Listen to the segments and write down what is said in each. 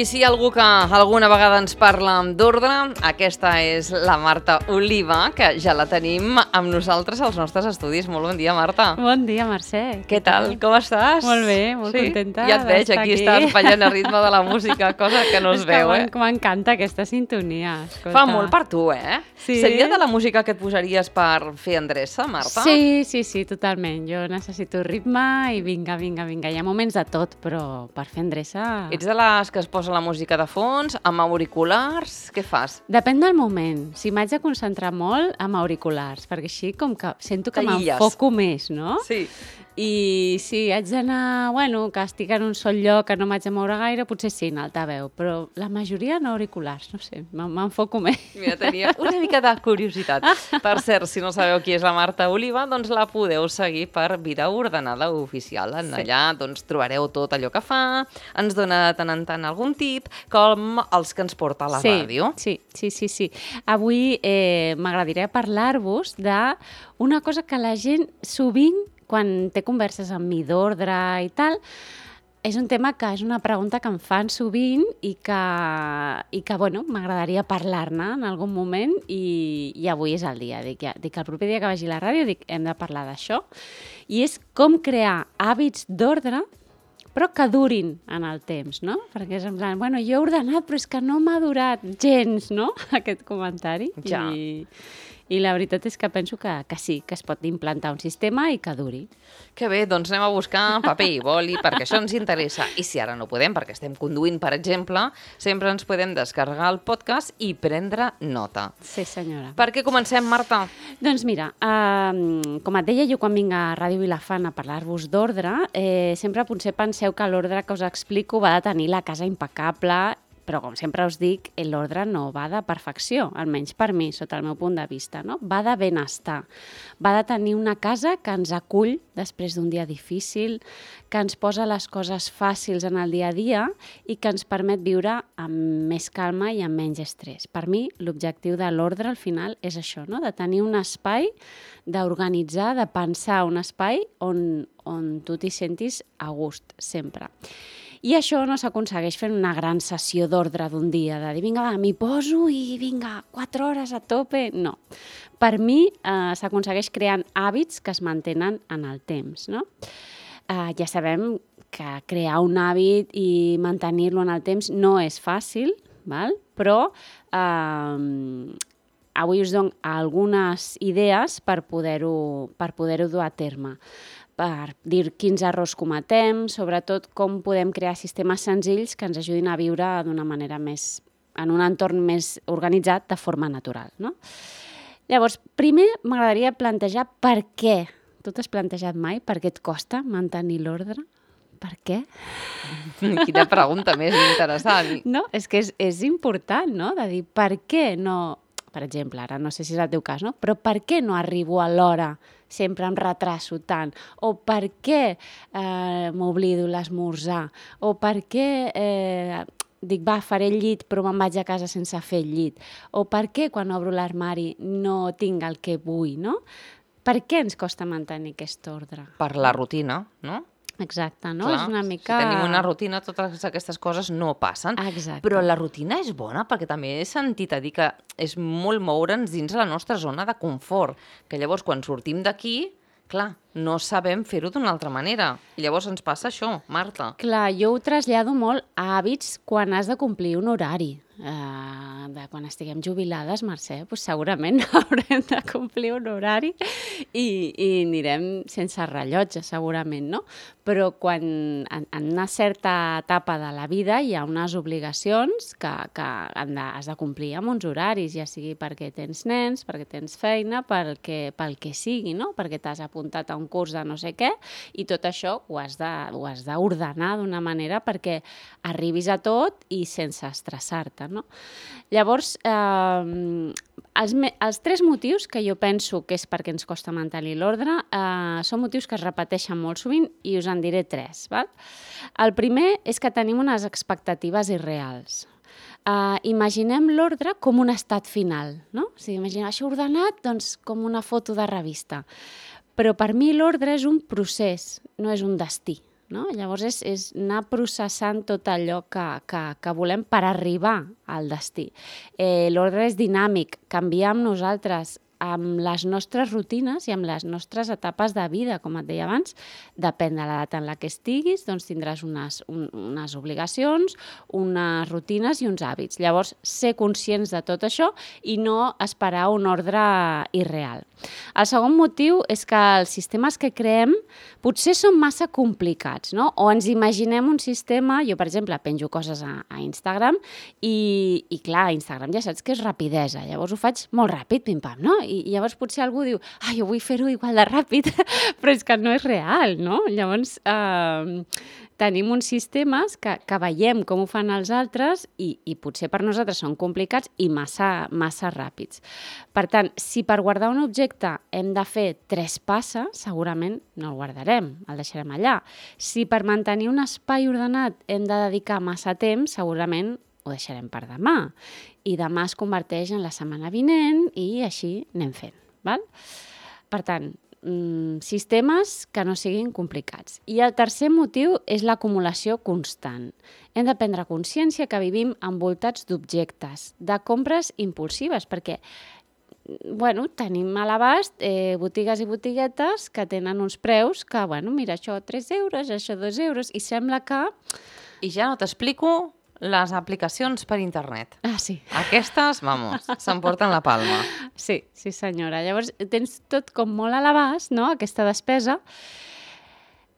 I si hi ha algú que alguna vegada ens parla d'ordre, aquesta és la Marta Oliva, que ja la tenim amb nosaltres als nostres estudis. Molt bon dia, Marta. Bon dia, Mercè. Què tal? Com estàs? Molt bé, molt contenta. Ja et veig, aquí estàs ballant a ritme de la música, cosa que no es veu, eh? M'encanta aquesta sintonia. Escolta. Fa molt per tu, eh? Sí. Seria de la música que et posaries per fer endreça, Marta? Sí, totalment. Jo necessito ritme i vinga. Hi ha moments de tot, però per fer endreça... Ets de les que es posa la música de fons, amb auriculars? Què fas? Depèn del moment. Si m'haig de concentrar molt, amb auriculars, perquè així com que sento que m'enfoco més, no? Sí. I si haig d'anar, que estic en un sol lloc, que no m'haig de moure gaire, potser sí, en altaveu, però la majoria en auriculars, no sé, m'enfoco més. Mira, tenia una mica de curiositat. Per cert, si no sabeu qui és la Marta Oliva, doncs la podeu seguir per Vida Ordenada Oficial. Allà doncs, trobareu tot allò que fa, ens dona de tant en tant algun tip, com els que ens porta a la ràdio. Sí. Avui m'agradaria parlar-vos d'una cosa que la gent sovint, quan té converses amb mi d'ordre i tal, és un tema que és una pregunta que em fan sovint i que m'agradaria parlar-ne en algun moment i avui és el dia. Dic el proper dia que vagi a la ràdio hem de parlar d'això. I és com crear hàbits d'ordre però que durin en el temps, no? Perquè és en plan, jo he ordenat, però és que no m'ha durat gens, no?, aquest comentari. Ja. I la veritat és que penso que sí, que es pot implantar un sistema i que duri. Que bé, doncs anem a buscar paper i boli, perquè això ens interessa. I si ara no podem, perquè estem conduint, per exemple, sempre ens podem descarregar el podcast i prendre nota. Sí, senyora. Per què comencem, Marta? Doncs mira, com et deia, jo quan vinc a Ràdio Vilafant a parlar-vos d'ordre, sempre potser penseu que l'ordre que us explico va de tenir la casa impecable, però com sempre us dic, l'ordre no va de perfecció, almenys per mi, sota el meu punt de vista, no? Va de benestar, va de tenir una casa que ens acull després d'un dia difícil, que ens posa les coses fàcils en el dia a dia i que ens permet viure amb més calma i amb menys estrès. Per mi, l'objectiu de l'ordre al final és això, no? De tenir un espai, d'organitzar, de pensar un espai on tu t'hi sentis a gust, sempre. I això no s'aconsegueix fent una gran sessió d'ordre d'un dia, de dir, vinga, m'hi poso i vinga, 4 hores a tope. No. Per mi s'aconsegueix creant hàbits que es mantenen en el temps, no? Ja sabem que crear un hàbit i mantenir-lo en el temps no és fàcil, val? Però avui us dono algunes idees per poder-ho dur a terme, per dir quins errors cometem, sobretot com podem crear sistemes senzills que ens ajudin a viure d'una manera en un entorn més organitzat de forma natural, no? Llavors, primer m'agradaria plantejar per què. Tu t'has plantejat mai per què et costa mantenir l'ordre? Per què? Quina pregunta més interessant. No, és que és important, no?, de dir per què no... Per exemple, ara no sé si és el teu cas, no? Però per què no arribo a l'hora? Sempre em retraso tant? O per què m'oblido l'esmorzar? O per què dic, faré el llit però me'n vaig a casa sense fer el llit? O per què quan obro l'armari no tinc el que vull, no? Per què ens costa mantenir aquest ordre? Per la rutina, no? Exacte, no? Clar, és una mica... Si tenim una rutina, totes aquestes coses no passen. Exacte. Però la rutina és bona, perquè també he sentit a dir que és molt moure'ns dins la nostra zona de confort, que llavors quan sortim d'aquí, clar, no sabem fer-ho d'una altra manera. I llavors ens passa això, Marta. Clar, jo ho trasllado molt a hàbits quan has de complir un horari. Quan estiguem jubilades, Mercè, doncs segurament haurem de complir un horari i anirem sense rellotge, segurament, no? Però quan en una certa etapa de la vida hi ha unes obligacions que has de complir amb uns horaris, ja sigui perquè tens nens, perquè tens feina, pel que sigui, no? Perquè t'has apuntat a un curs de no sé què, i tot això ho has d'ordenar d'una manera perquè arribis a tot i sense estressar-te, no? Llavors, els 3 motius que jo penso que és perquè ens costa mantenir l'ordre són motius que es repeteixen molt sovint i us en diré 3. Val? El primer és que tenim unes expectatives irreals. Imaginem l'ordre com un estat final, no? O sigui, imaginem això ordenat, doncs, com una foto de revista. Però per mi l'ordre és un procés, no és un destí. no? Llavors és anar processant tot allò que volem per arribar al destí. L'ordre és dinàmic, canviar amb nosaltres, amb les nostres rutines i amb les nostres etapes de vida, com et deia abans, depèn de l'edat en la que estiguis, doncs tindràs unes obligacions, unes rutines i uns hàbits. Llavors, ser conscients de tot això i no esperar un ordre irreal. El segon motiu és que els sistemes que creem potser són massa complicats, no? O ens imaginem un sistema, jo per exemple penjo coses a Instagram i clar, a Instagram ja saps que és rapidesa, llavors ho faig molt ràpid, pim-pam, no? I llavors potser algú diu, jo vull fer-ho igual de ràpid, però és que no és real, no? Llavors tenim uns sistemes que veiem com ho fan els altres i potser per nosaltres són complicats i massa ràpids. Per tant, si per guardar un objecte hem de fer 3 passes, segurament no el guardarem, el deixarem allà. Si per mantenir un espai ordenat hem de dedicar massa temps, segurament ho deixarem per demà. I demà es converteix en la setmana vinent i així anem fent. Val? Per tant, sistemes que no siguin complicats. I el tercer motiu és l'acumulació constant. Hem de prendre consciència que vivim envoltats d'objectes, de compres impulsives, perquè tenim a l'abast botigues i botiguetes que tenen uns preus que, mira, això 3 euros, això 2 euros, i sembla que... I ja no t'explico les aplicacions per internet. Sí. Aquestes, s'emporten la palma. Sí, senyora. Llavors, tens tot com molt a l'abast, no?, aquesta despesa,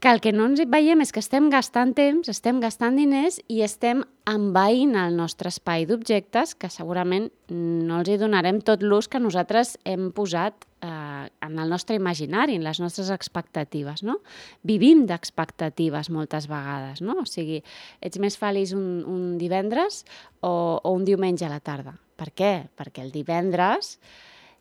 que el que no ens veiem és que estem gastant temps, estem gastant diners i estem envaint el nostre espai d'objectes que segurament no els hi donarem tot l'ús que nosaltres hem posat en el nostre imaginari, en les nostres expectatives, no? Vivim d'expectatives moltes vegades, no? O sigui, ets més feliç un divendres o un diumenge a la tarda. Per què? Perquè el divendres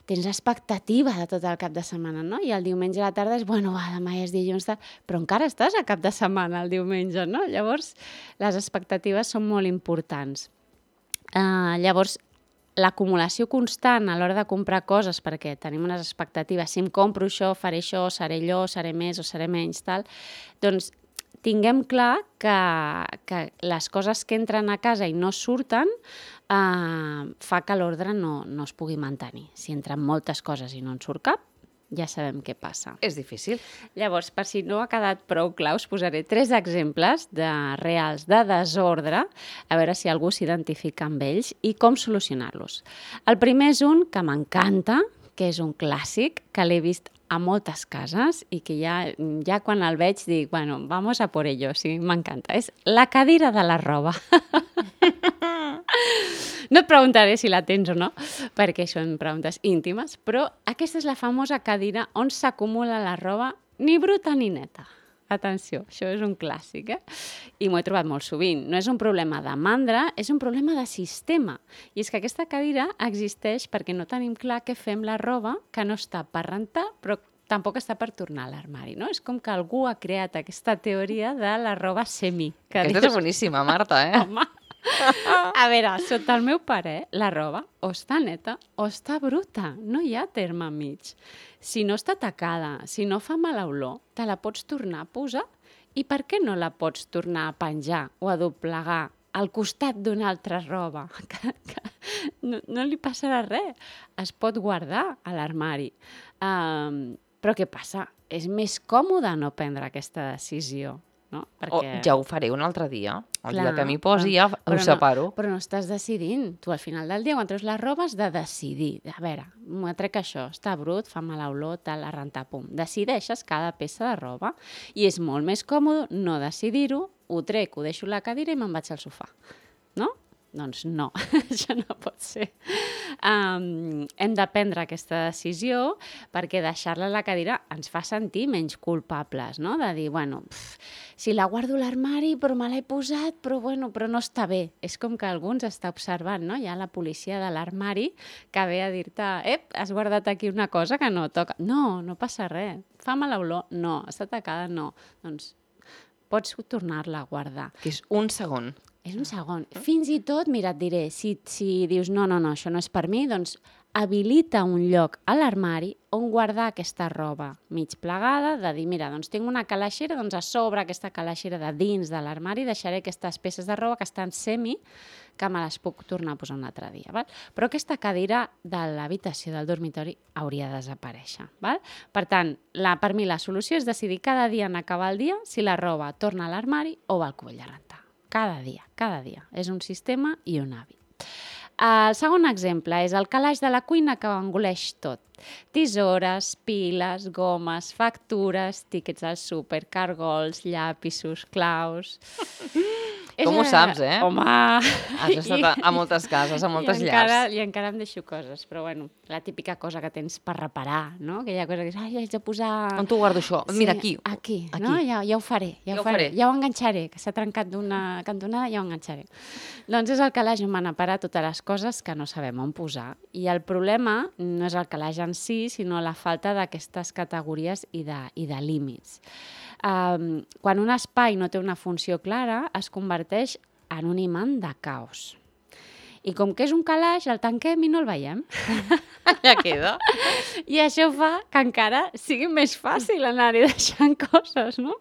tens expectativa de tot el cap de setmana, no? I el diumenge a la tarda és, demà ja és dilluns, però encara estàs a cap de setmana el diumenge, no? Llavors, les expectatives són molt importants. Llavors, l'acumulació constant a l'hora de comprar coses, perquè tenim unes expectatives, si em compro això, faré això, seré allò, seré més o seré menys, tal, doncs tinguem clar que les coses que entren a casa i no surten fa que l'ordre no es pugui mantenir. Si entren moltes coses i no en surt cap, ja sabem què passa. És difícil. Llavors, per si no ha quedat prou clar, us posaré 3 exemples reals de desordre, a veure si algú s'identifica amb ells i com solucionar-los. El primer és un que m'encanta, que és un clàssic, que l'he vist a moltes cases i que ja quan el veig dic, vamos a por ello, sí, m'encanta. És la cadira de la roba. No et preguntaré si la tens o no, perquè són preguntes íntimes, però aquesta és la famosa cadira on s'acumula la roba ni bruta ni neta. Atenció, això és un clàssic, I m'ho he trobat molt sovint. No és un problema de mandra, és un problema de sistema. I és que aquesta cadira existeix perquè no tenim clar què fem la roba que no està per rentar, però tampoc està per tornar a l'armari, no? És com que algú ha creat aquesta teoria de la roba semi. Aquesta és boníssima, Marta, Home! A veure, sota el meu pare, la roba o està neta o està bruta. No hi ha terme mig. Si no està tacada, si no fa mala olor, te la pots tornar a posar i per què no la pots tornar a penjar o a doblegar al costat d'una altra roba? No li passarà res. Es pot guardar a l'armari. Però què passa? És més còmode no prendre aquesta decisió. No? Perquè... ja ho faré un altre dia. El dia que m'hi posi ja ho separo. Però no estàs decidint. Tu al final del dia, quan treus la roba, has de decidir. A veure, m'ho trec això, està brut, fa mala olor, tal, a rentar, pum. Decideixes cada peça de roba. I és molt més còmode no decidir-ho, ho trec, ho deixo a la cadira i me'n vaig al sofà. No? Doncs no, això no pot ser. Hem de prendre aquesta decisió perquè deixar-la a la cadira ens fa sentir menys culpables, no? De dir, si la guardo a l'armari però me l'he posat, però no està bé. És com que algú ens està observant, no? Hi ha la policia de l'armari que ve a dir-te, has guardat aquí una cosa que no toca. No passa res. Fa mala olor? No. Està tacada? No. Doncs pots tornar-la a guardar. Que és un segon. És un segon. Fins i tot, mira, et diré, si dius no, això no és per mi, doncs habilita un lloc a l'armari on guardar aquesta roba mig plegada, de dir, mira, doncs tinc una calaixera, doncs a sobre aquesta calaixera de dins de l'armari deixaré aquestes peces de roba que estan que me les puc tornar a posar un altre dia. Val? Però aquesta cadira de l'habitació del dormitori hauria de desaparèixer. Val? Per tant, per mi la solució és decidir cada dia en acabar el dia si la roba torna a l'armari o va al cubell de rentar. Cada dia. És un sistema i un hàbit. El segon exemple és el calaix de la cuina que ho engoleix tot. Tisores, piles, gomes, factures, tíquets al súper, cargols, llapisos, claus... Com ho saps, eh? Home... Has estat a moltes cases, a moltes llars. I encara em deixo coses, però bueno, la típica cosa que tens per reparar, no? Aquella cosa que és, haig de posar... On t'ho guardo això? Mira, aquí. Aquí, no? Ja ho faré, ja ho enganxaré, que s'ha trencat d'una cantonada, ja ho enganxaré. Doncs és el calaix on van a parar totes les coses que no sabem on posar. I el problema no és el calaix en si, sinó la falta d'aquestes categories i de límits. Quan un espai no té una funció clara, es converteix en un imant de caos. I com que és un calaix, el tanquem i no el veiem. Ja queda. I això fa que encara sigui més fàcil anar-hi deixant coses, no?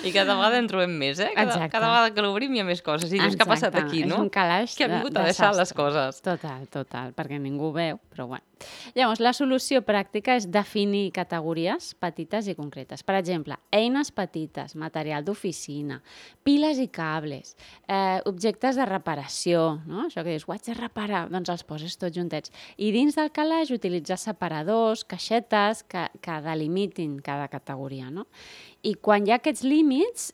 I cada vegada en trobem més, eh? Cada vegada que l'obrim hi ha més coses. I dius, què ha passat aquí, no? És un calaix que ha vingut a deixar les coses. Total, perquè ningú veu, però bueno. Llavors, la solució pràctica és definir categories petites i concretes. Per exemple, eines petites, material d'oficina, piles i cables, objectes de reparació, no? Això que dius, ho haig de reparar, doncs els poses tots juntets. I dins del calaix utilitzar separadors, caixetes que delimitin cada categoria, no? I quan hi ha aquests límits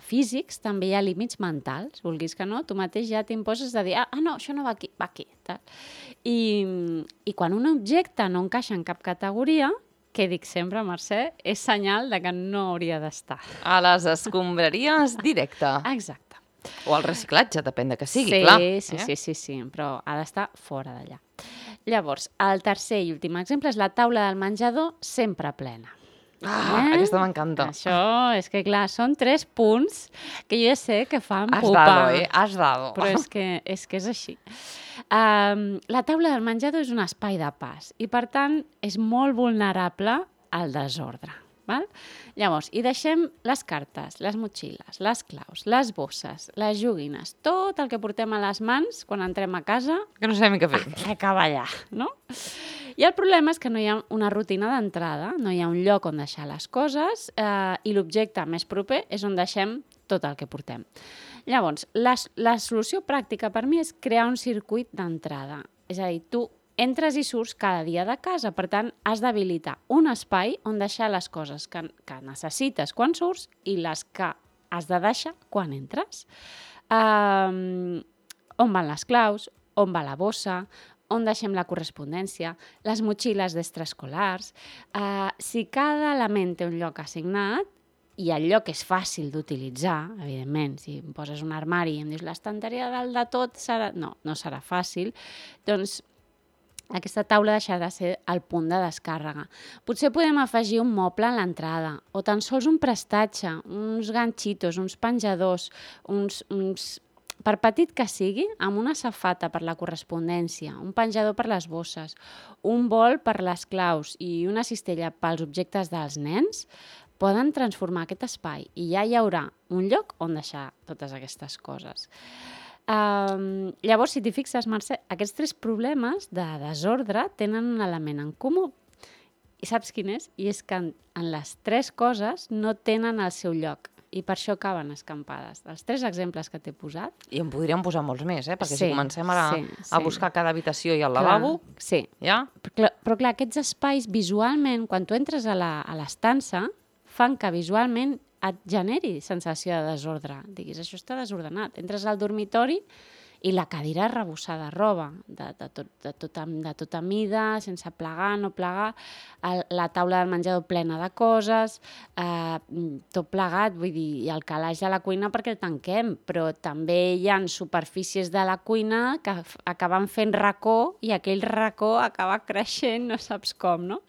físics, també hi ha límits mentals, vulguis que no, tu mateix ja t'imposes de dir, no, això no va aquí, va aquí. Tal. I quan un objecte no encaixa en cap categoria, que dic sempre, Mercè, és senyal de que no hauria d'estar. A les escombraries directe. Exacte. O al reciclatge, depèn de que sigui, clar. Sí, però ha d'estar fora d'allà. Llavors, el tercer i últim exemple és la taula del menjador sempre plena. Aquesta m'encanta. Això és que, clar, són 3 punts que jo ja sé que fan Has pupa. Has dado. Però és que és així. La taula del menjador és un espai de pas i, per tant, és molt vulnerable al desordre. Val? Llavors, hi deixem les cartes, les motxilles, les claus, les bosses, les joguines, tot el que portem a les mans quan entrem a casa... Que no sabem què fer. Acaba allà, no? I el problema és que no hi ha una rutina d'entrada, no hi ha un lloc on deixar les coses i l'objecte més proper és on deixem tot el que portem. Llavors, la solució pràctica per mi és crear un circuit d'entrada. És a dir, tu entres i surts cada dia de casa, per tant, has d'habilitar un espai on deixar les coses que necessites quan surts i les que has de deixar quan entres. On van les claus, on va la bossa, on deixem la correspondència, les motxilles d'extraescolars. Si cada element té un lloc assignat, i el lloc és fàcil d'utilitzar, evidentment, si em poses un armari i em dius l'estanteria dalt de tot, no serà fàcil, doncs aquesta taula deixarà de ser el punt de descàrrega. Potser podem afegir un moble a l'entrada, o tan sols un prestatge, uns ganxitos, uns penjadors, per petit que sigui, amb una safata per la correspondència, un penjador per les bosses, un bol per les claus i una cistella pels objectes dels nens, poden transformar aquest espai i ja hi haurà un lloc on deixar totes aquestes coses. Llavors, si t'hi fixes, Mercè, aquests 3 problemes de desordre tenen un element en comú. I saps quin és? I és que en les 3 coses no tenen el seu lloc. I per això acaben escampades. Els 3 exemples que t'he posat... I en podríem posar molts més, perquè si comencem a buscar cada habitació i al lavabo... Sí, ja? Però clar, aquests espais visualment, quan tu entres a l'estança, fan que visualment et generi sensació de desordre. Diguis, això està desordenat. Entres al dormitori i la cadira arrebossada de roba, de tota mida, sense plegar, no plegar, la taula del menjador plena de coses, tot plegat, vull dir, i el calaix de la cuina perquè el tanquem, però també hi ha superfícies de la cuina que acaben fent racó i aquell racó acaba creixent, no saps com, no?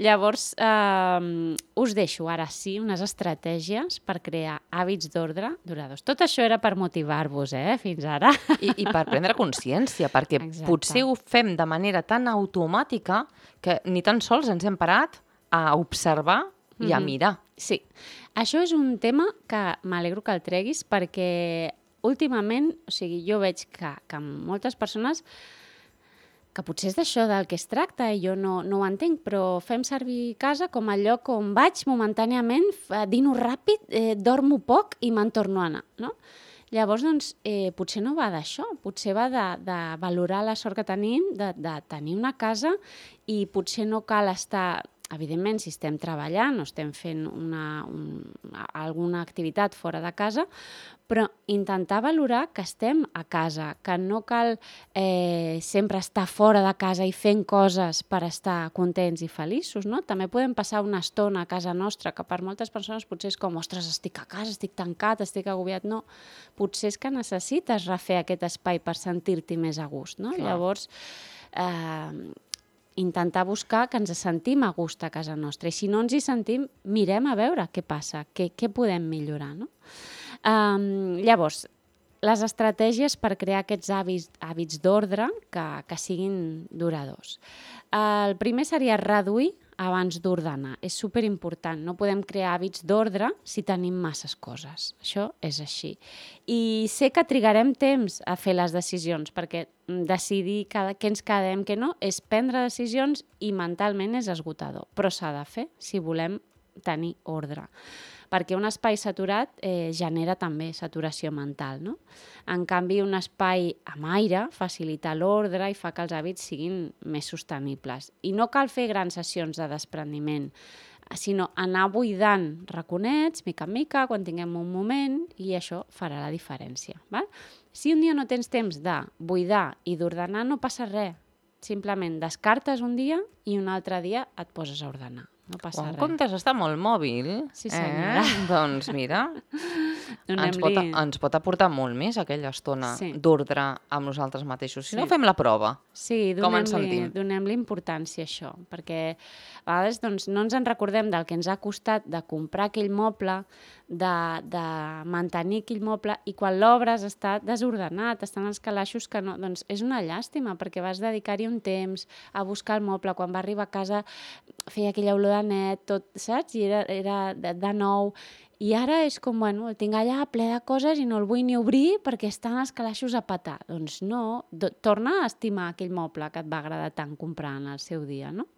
Llavors, us deixo ara sí unes estratègies per crear hàbits d'ordre duradors. Tot això era per motivar-vos, fins ara. I per prendre consciència, perquè potser ho fem de manera tan automàtica que ni tan sols ens hem parat a observar i a mirar. Sí. Això és un tema que m'alegro que el treguis perquè últimament, o sigui, jo veig que moltes persones, que potser és d'això del que es tracta i jo no ho entenc, però fem servir casa com a lloc on vaig momentàniament, dino ràpid, dormo poc i me'n torno a anar, no? Llavors, doncs, potser no va d'això, potser va de valorar la sort que tenim, de tenir una casa i potser no cal estar... Evidentment, si estem treballant o estem fent alguna activitat fora de casa, però intentar valorar que estem a casa, que no cal sempre estar fora de casa i fent coses per estar contents i feliços, no? També podem passar una estona a casa nostra, que per moltes persones potser és com, ostres, estic a casa, estic tancat, estic agobiat. No, potser és que necessites refer aquest espai per sentir-t'hi més a gust, no? Clar. Llavors, intentar buscar que ens sentim a gust a casa nostra. I si no ens hi sentim, mirem a veure què passa, què podem millorar, no? Llavors, les estratègies per crear aquests hàbits d'ordre que siguin duradors. El primer seria reduir abans d'ordenar. És superimportant. No podem crear hàbits d'ordre si tenim masses coses. Això és així. I sé que trigarem temps a fer les decisions, perquè decidir què ens quedem, què no, és prendre decisions i mentalment és esgotador. Però s'ha de fer si volem tenir ordre. Perquè un espai saturat genera també saturació mental, no? En canvi, un espai amb aire facilita l'ordre i fa que els hàbits siguin més sostenibles. I no cal fer grans sessions de desprendiment, sinó anar buidant raconets, mica en mica, quan tinguem un moment, i això farà la diferència. Val? Si un dia no tens temps de buidar i d'ordenar, no passa res. Simplement descartes un dia i un altre dia et poses a ordenar. No passa res. En comptes d'estar molt mòbil, sí, senyora. Doncs mira, ens pot aportar molt més aquella estona d'ordre amb nosaltres mateixos. Si no, fem la prova. Sí, donem-li importància a això, perquè a vegades doncs, no ens en recordem del que ens ha costat de comprar aquell moble, de mantenir aquell moble, i quan l'obres està desordenat, estan els calaixos que no... Doncs és una llàstima, perquè vas dedicar-hi un temps a buscar el moble. Quan va arribar a casa feia aquella olor de net, tot, saps? I era de nou. I ara és com, bueno, el tinc allà ple de coses i no el vull ni obrir perquè estan els calaixos a petar. Doncs no, torna a estimar aquell moble que et va agradar tant comprar en el seu dia, no?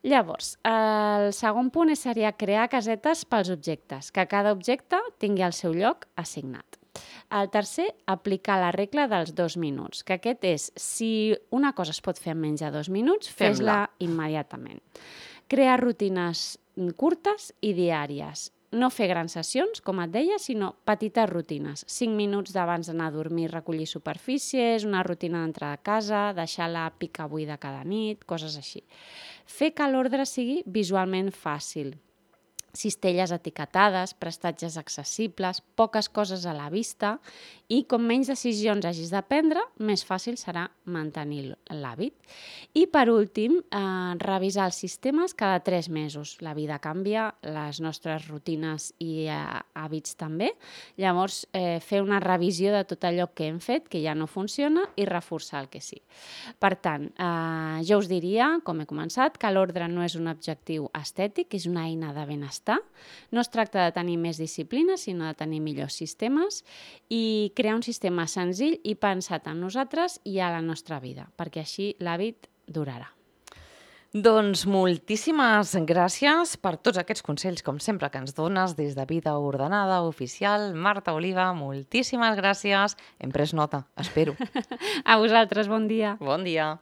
Llavors, el segon punt seria crear casetes pels objectes, que cada objecte tingui el seu lloc assignat. El tercer, aplicar la regla dels 2 minuts, que aquest és, si una cosa es pot fer en menys de 2 minuts, fes-la immediatament. Crear rutines curtes i diàries. No fer grans sessions, com et deia, sinó petites rutines. 5 minuts d'abans d'anar a dormir, recollir superfícies, una rutina d'entrada a casa, deixar la pica buida cada nit, coses així. Fer que l'ordre sigui visualment fàcil. Cistelles etiquetades, prestatges accessibles, poques coses a la vista i com menys decisions hagis de prendre, més fàcil serà mantenir l'hàbit. I per últim, revisar els sistemes cada 3 mesos. La vida canvia, les nostres rutines i hàbits també. Llavors, fer una revisió de tot allò que hem fet, que ja no funciona, i reforçar el que sí. Per tant, jo us diria, com he començat, que l'ordre no és un objectiu estètic, és una eina de benestar. No es tracta de tenir més disciplina, sinó de tenir millors sistemes i crear un sistema senzill i pensat en nosaltres i a la nostra vida, perquè així l'hàbit durarà. Doncs moltíssimes gràcies per tots aquests consells, com sempre, que ens dones des de Vida Ordenada Oficial. Marta Oliva, moltíssimes gràcies. Hem pres nota, espero. A vosaltres, bon dia. Bon dia.